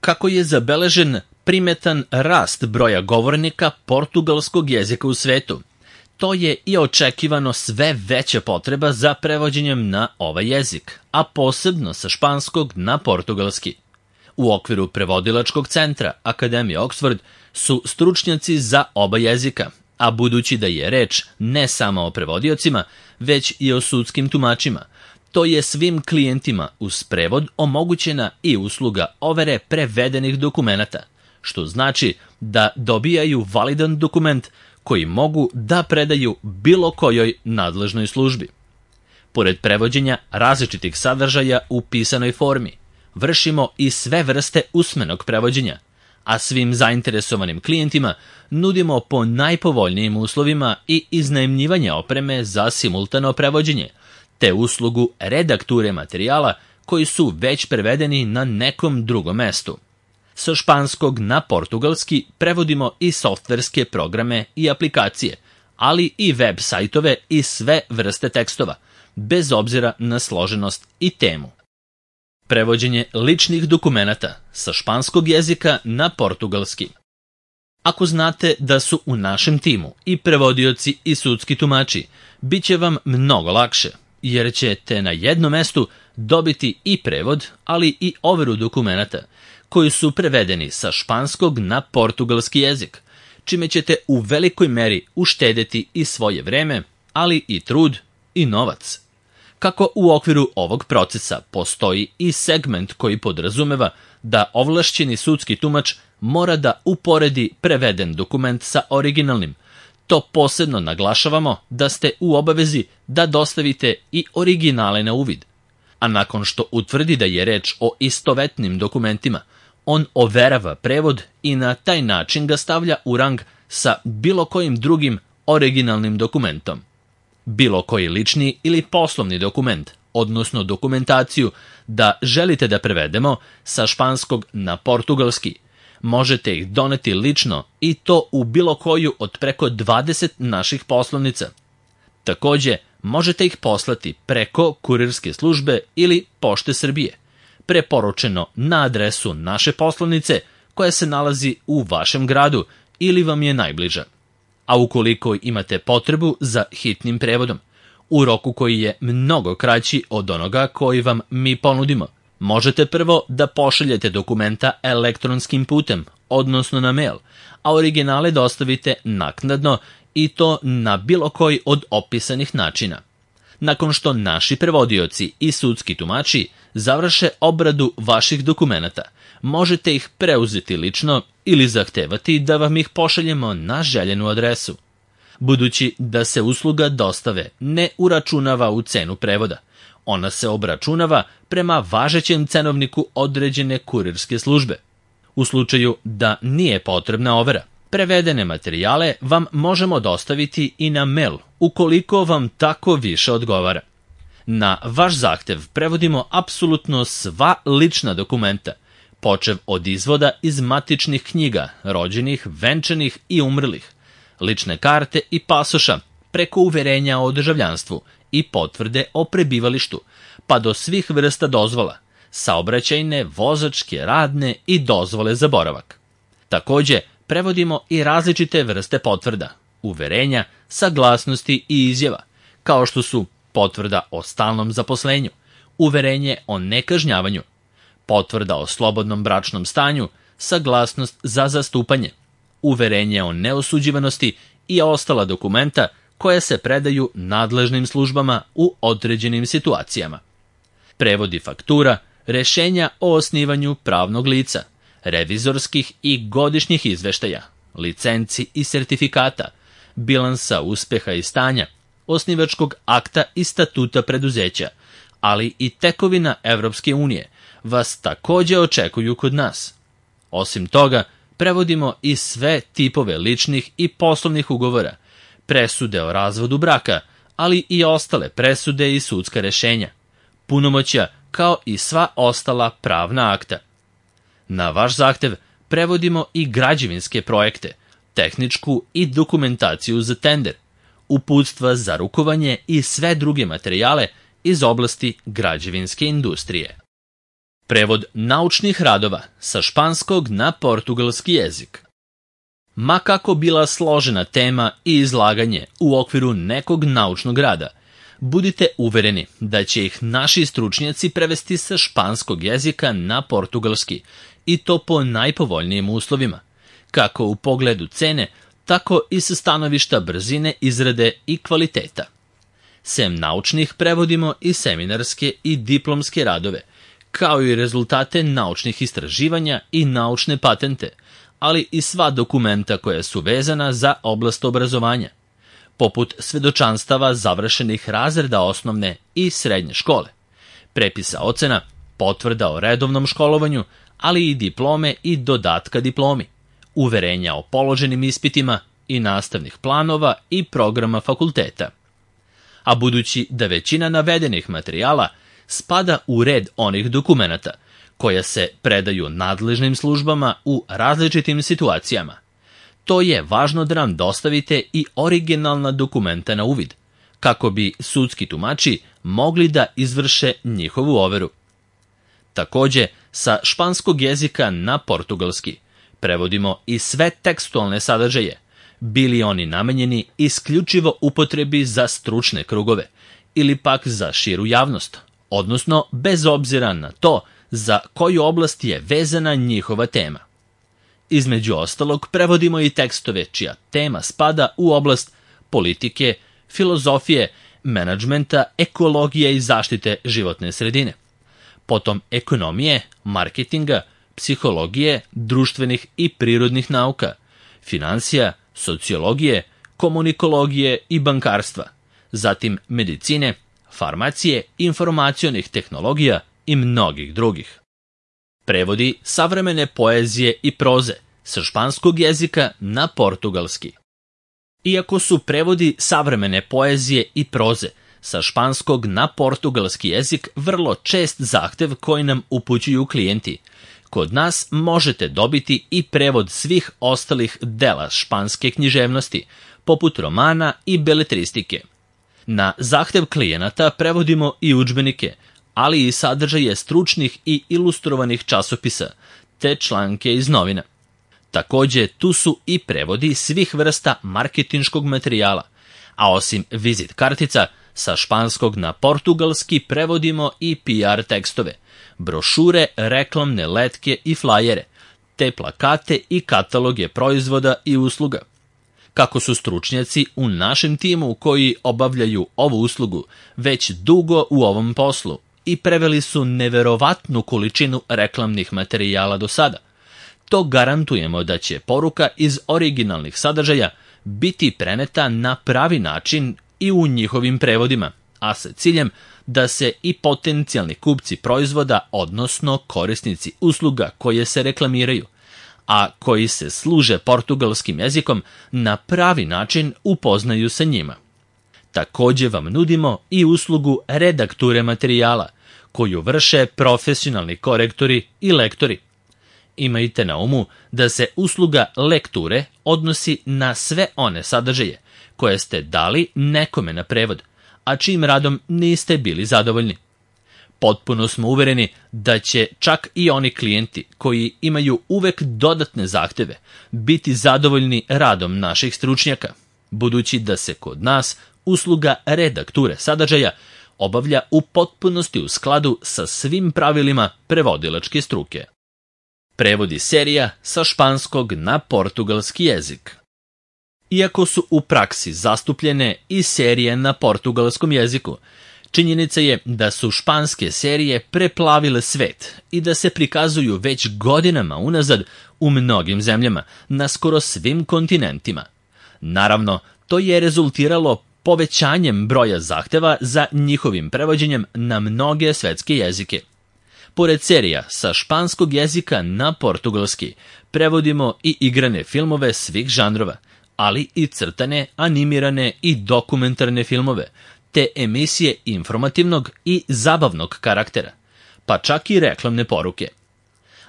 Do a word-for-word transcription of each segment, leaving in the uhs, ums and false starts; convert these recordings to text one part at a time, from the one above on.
kako je zabeležen primetan rast broja govornika portugalskog jezika u svetu. To je i očekivano sve veća potreba za prevođenjem na ovaj jezik, a posebno sa španskog na portugalski. U okviru prevodilačkog centra Akademije Oxford su stručnjaci za oba jezika, a budući da je reč ne samo o prevodiocima, već i o sudskim tumačima, to je svim klijentima uz prevod omogućena i usluga overe prevedenih dokumenata, što znači da dobijaju validan dokument koji mogu da predaju bilo kojoj nadležnoj službi. Pored prevođenja različitih sadržaja u pisanoj formi, vršimo i sve vrste usmenog prevođenja, a svim zainteresovanim klijentima nudimo po najpovoljnijim uslovima i iznajmljivanje opreme za simultano prevođenje, te uslugu redakture materijala koji su već prevedeni na nekom drugom mestu. Sa španskog na portugalski prevodimo i softverske programe i aplikacije, ali i web sajtove i sve vrste tekstova, bez obzira na složenost i temu. Prevođenje ličnih dokumenata sa španskog jezika na portugalski. Ako znate da su u našem timu i prevodioci i sudski tumači, bit će vam mnogo lakše, jer ćete na jednom mestu dobiti i prevod, ali i overu dokumenata, koji su prevedeni sa španskog na portugalski jezik, čime ćete u velikoj meri uštedeti i svoje vreme, ali i trud i novac. Kako u okviru ovog procesa postoji i segment koji podrazumeva da ovlašćeni sudski tumač mora da uporedi preveden dokument sa originalnim, to posebno naglašavamo da ste u obavezi da dostavite i originale na uvid. A nakon što utvrdi da je reč o istovetnim dokumentima, on overava prevod i na taj način ga stavlja u rang sa bilo kojim drugim originalnim dokumentom. Bilo koji lični ili poslovni dokument, odnosno dokumentaciju da želite da prevedemo sa španskog na portugalski, možete ih doneti lično i to u bilo koju od preko dvadeset naših poslovnica. Takođe, možete ih poslati preko kurirske službe ili Pošte Srbije, preporučeno na adresu naše poslovnice koja se nalazi u vašem gradu ili vam je najbliža. A ukoliko imate potrebu za hitnim prevodom, u roku koji je mnogo kraći od onoga koji vam mi ponudimo, možete prvo da pošaljete dokumenta elektronskim putem, odnosno na mail, a originale dostavite naknadno i to na bilo koji od opisanih načina. Nakon što naši prevodioci i sudski tumači završe obradu vaših dokumenata, možete ih preuzeti lično ili zahtevati da vam ih pošaljemo na željenu adresu. Budući da se usluga dostave ne uračunava u cenu prevoda, ona se obračunava prema važećem cenovniku određene kurirske službe. U slučaju da nije potrebna overa, prevedene materijale vam možemo dostaviti i na mail, ukoliko vam tako više odgovara. Na vaš zahtev prevodimo apsolutno sva lična dokumenta, počev od izvoda iz matičnih knjiga, rođenih, venčanih i umrlih, lične karte i pasoša, preko uverenja o državljanstvu i potvrde o prebivalištu, pa do svih vrsta dozvola, saobraćajne, vozačke, radne i dozvole za boravak. Takođe, prevodimo i različite vrste potvrda, uverenja, saglasnosti i izjava, kao što su potvrda o stalnom zaposlenju, uverenje o nekažnjavanju, potvrda o slobodnom bračnom stanju, saglasnost za zastupanje, uverenje o neosuđivanosti i ostala dokumenta koja se predaju nadležnim službama u određenim situacijama. Prevodi faktura, rešenja o osnivanju pravnog lica, revizorskih i godišnjih izveštaja, licenci i sertifikata, bilansa uspeha i stanja, osnivačkog akta i statuta preduzeća, ali i tekovina Evropske unije, vas takođe očekuju kod nas. Osim toga, prevodimo i sve tipove ličnih i poslovnih ugovora, presude o razvodu braka, ali i ostale presude i sudska rešenja, punomoćja kao i sva ostala pravna akta. Na vaš zahtev prevodimo i građevinske projekte, tehničku i dokumentaciju za tender, uputstva za rukovanje i sve druge materijale iz oblasti građevinske industrije. Prevod naučnih radova sa španskog na portugalski jezik. Ma kako bila složena tema i izlaganje u okviru nekog naučnog rada, budite uvereni da će ih naši stručnjaci prevesti sa španskog jezika na portugalski i to po najpovoljnijim uslovima, kako u pogledu cene, tako i sa stanovišta brzine izrade i kvaliteta. Sem naučnih prevodimo i seminarske i diplomske radove, kao i rezultate naučnih istraživanja i naučne patente, ali i sva dokumenta koja su vezana za oblast obrazovanja, poput svedočanstava završenih razreda osnovne i srednje škole, prepisa ocena, potvrda o redovnom školovanju, ali i diplome i dodatka diplomi, uverenja o položenim ispitima i nastavnih planova i programa fakulteta. A budući da većina navedenih materijala spada u red onih dokumenata koja se predaju nadležnim službama u različitim situacijama, to je važno da nam dostavite i originalna dokumenta na uvid, kako bi sudski tumači mogli da izvrše njihovu overu. Takođe, sa španskog jezika na portugalski prevodimo i sve tekstualne sadržaje, bili oni namenjeni isključivo upotrebi za stručne krugove ili pak za širu javnost, odnosno bez obzira na to za koju oblast je vezana njihova tema. Između ostalog, prevodimo i tekstove čija tema spada u oblast politike, filozofije, menadžmenta, ekologije i zaštite životne sredine, potom ekonomije, marketinga, psihologije, društvenih i prirodnih nauka, finansija, sociologije, komunikologije i bankarstva, zatim medicine, farmacije, informacionih tehnologija i mnogih drugih. Prevodi savremene poezije i proze sa španskog jezika na portugalski. Iako su prevodi savremene poezije i proze sa španskog na portugalski jezik vrlo čest zahtev koji nam upućuju klijenti, kod nas možete dobiti i prevod svih ostalih dela španske književnosti, poput romana i beletristike. Na zahtev klijenata prevodimo i udžbenike, ali i sadržaje stručnih i ilustrovanih časopisa, te članke iz novina. Takođe, tu su i prevodi svih vrsta marketinškog materijala, a osim vizit kartica, sa španskog na portugalski prevodimo i P R tekstove, brošure, reklamne letke i flajere, te plakate i kataloge proizvoda i usluga. Kako su stručnjaci u našem timu koji obavljaju ovu uslugu već dugo u ovom poslu i preveli su neverovatnu količinu reklamnih materijala do sada, to garantujemo da će poruka iz originalnih sadržaja biti preneta na pravi način i u njihovim prevodima, a sa ciljem da se i potencijalni kupci proizvoda, odnosno korisnici usluga koje se reklamiraju, a koji se služe portugalskim jezikom, na pravi način upoznaju sa njima. Takođe vam nudimo i uslugu redakture materijala, koju vrše profesionalni korektori i lektori. Imajte na umu da se usluga lekture odnosi na sve one sadržaje koje ste dali nekome na prevod, a čijim radom niste bili zadovoljni. Potpuno smo uvereni da će čak i oni klijenti koji imaju uvek dodatne zahteve biti zadovoljni radom naših stručnjaka, budući da se kod nas usluga redakture sadržaja obavlja u potpunosti u skladu sa svim pravilima prevodilačke struke. Prevodi serija sa španskog na portugalski jezik. Iako su u praksi zastupljene i serije na portugalskom jeziku, činjenica je da su španske serije preplavile svet i da se prikazuju već godinama unazad u mnogim zemljama, na skoro svim kontinentima. Naravno, to je rezultiralo povećanjem broja zahteva za njihovim prevođenjem na mnoge svetske jezike. Pored serija sa španskog jezika na portugalski, prevodimo i igrane filmove svih žanrova, ali i crtane, animirane i dokumentarne filmove, te emisije informativnog i zabavnog karaktera, pa čak i reklamne poruke.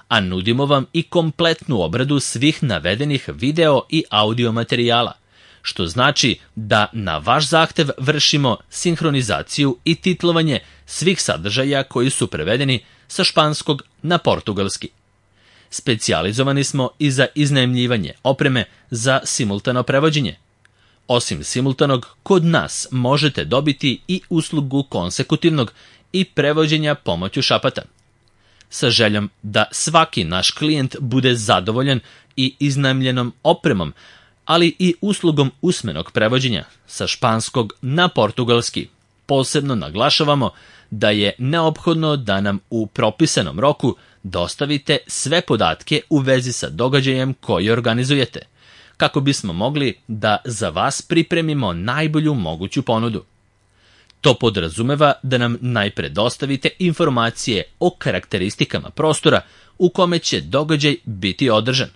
A nudimo vam i kompletnu obradu svih navedenih video i audio materijala, što znači da na vaš zahtev vršimo sinhronizaciju i titlovanje svih sadržaja koji su prevedeni sa španskog na portugalski. Specijalizovani smo i za iznajmljivanje opreme za simultano prevođenje. Osim simultanog, kod nas možete dobiti i uslugu konsekutivnog i prevođenja pomoću šapata. Sa željom da svaki naš klijent bude zadovoljan i iznajmljenom opremom, ali i uslugom usmenog prevođenja sa španskog na portugalski, posebno naglašavamo da je neophodno da nam u propisanom roku dostavite sve podatke u vezi sa događajem koji organizujete, kako bismo mogli da za vas pripremimo najbolju moguću ponudu. To podrazumeva da nam najpre dostavite informacije o karakteristikama prostora u kome će događaj biti održan,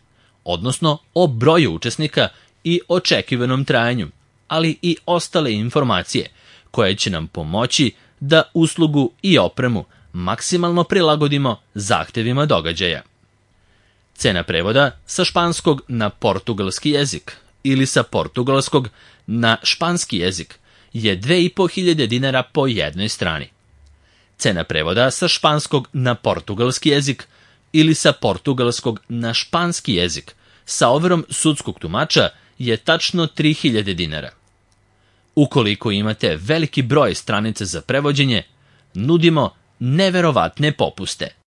odnosno o broju učesnika i očekivanom trajanju, ali i ostale informacije koje će nam pomoći da uslugu i opremu maksimalno prilagodimo zahtevima događaja. Cena prevoda sa španskog na portugalski jezik ili sa portugalskog na španski jezik je dve i po hiljade dinara po jednoj strani. Cena prevoda sa španskog na portugalski jezik ili sa portugalskog na španski jezik sa overom sudskog tumača je tačno tri hiljade dinara. Ukoliko imate veliki broj stranica za prevođenje, nudimo neverovatne popuste.